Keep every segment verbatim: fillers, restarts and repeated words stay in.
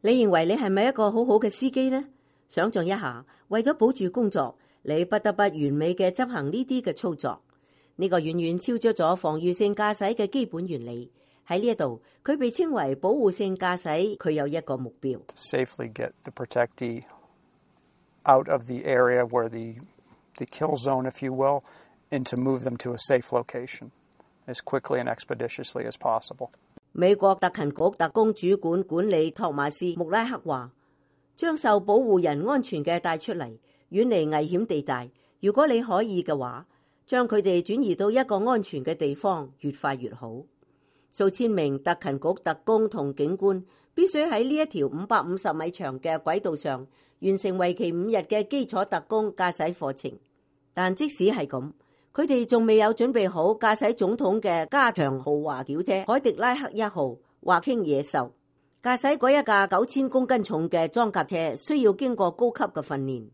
你認為你係咪一個好好嘅司機呢？想象一下，為咗保住工作，你不得不完美嘅執行呢啲嘅操作。呢個遠遠超出咗防禦性駕駛嘅基本原理。喺呢一度，佢被稱為保護性駕駛，佢有一個目標。Safely get the protectee out of the area where the the kill zone, if you will, and to move them to a safe location as quickly and expeditiously as possible. 美國特勤局特工主管管理托馬斯穆拉克話，將受保護人安全嘅帶出嚟，遠離危險地帶。如果你可以嘅話，將佢哋轉移到一個安全嘅地方，越快越好。數千名特勤局特工同警官必須喺呢一條五百五十米長嘅軌道上完成為期五日嘅基礎特工駕駛課程。但即使係咁，佢哋仲未有準備好駕駛總統嘅加長豪華轎車凱迪拉克一號，或稱野獸。駕駛嗰一架九千公斤重嘅裝甲車需要經過高級嘅訓練，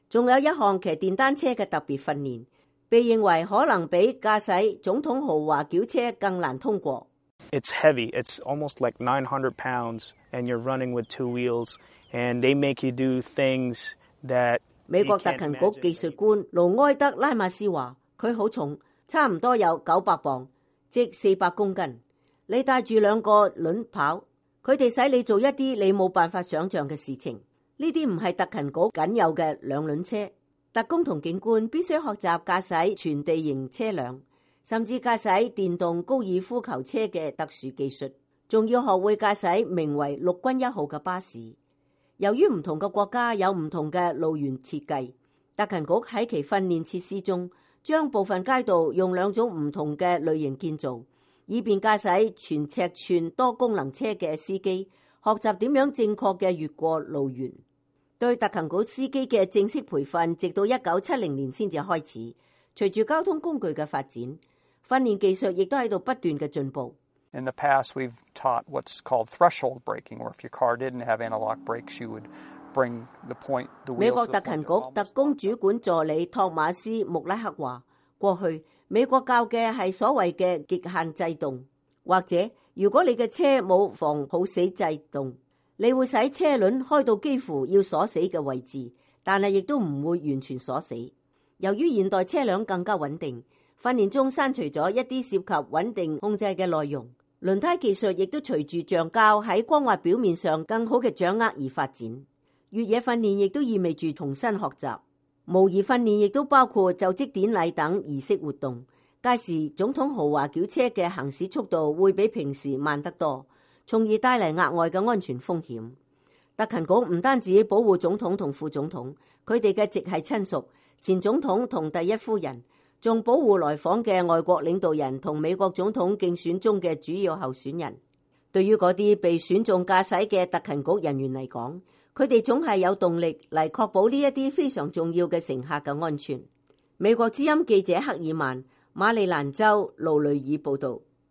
仲有一項騎電單車嘅特別訓練，被認為可能比駕駛總統豪華轎車更難通過。It's heavy. It's almost like nine hundred pounds, and you're running with two wheels, and they make you do things that 美國特勤局技術官盧埃德拉馬斯話，佢好重，差唔多有九百磅，即四百公斤。你帶住兩個輪跑，佢哋使你做一啲你冇辦法想象嘅事情。呢啲唔係特勤局僅有嘅兩輪車。特工同警官必須學習駕駛全地形車輛，甚至駕駛電動高爾夫球車嘅特殊技術，仲要學會駕駛名為陸軍一號嘅巴士。由於唔同嘅國家有唔同嘅路緣設計，特勤局喺其訓練設施中將部分街道用兩種唔同嘅類型建造，以便駕駛全尺寸多功能車嘅司機學習點樣正確嘅越過路緣。對特勤局司機嘅正式培訓直到一九七零年先至開始。隨住交通工具嘅發展，訓練技術亦都喺度不斷嘅進步。In the past, we've taught what's called threshold braking, or if your car didn't have analog brakes, you would bring the point, the wheels. 美國特勤局特工主管助理托馬斯穆拉克話，過去美國教嘅係所謂嘅極限制動，或者如果你嘅車冇防抱死制動，你會使車輪開到幾乎要鎖死嘅位置，但係亦都唔會完全鎖死。由於現代車輛更加穩定，訓練中刪除咗一啲涉及穩定控制嘅內容。輪胎技術亦都隨住橡膠喺光滑表面上更好嘅掌握而發展。越野訓練亦都意味住重新學習。模擬訓練亦都包括就職典禮等儀式活動。屆時總統豪華轎車嘅行駛速度會比平時慢得多，從而帶嚟額外嘅安全風險。特勤局唔單止保護總統同副總統，佢哋嘅直系親屬、前總統同第一夫人，仲保護來訪嘅外國領導人同美國總統競選中嘅主要候選人。對於嗰啲被選中駕駛嘅特勤局人員嚟講，佢哋總係有動力嚟確保呢一啲非常重要嘅乘客嘅安全。美國之音記者克爾曼，馬里蘭州勞雷爾報道。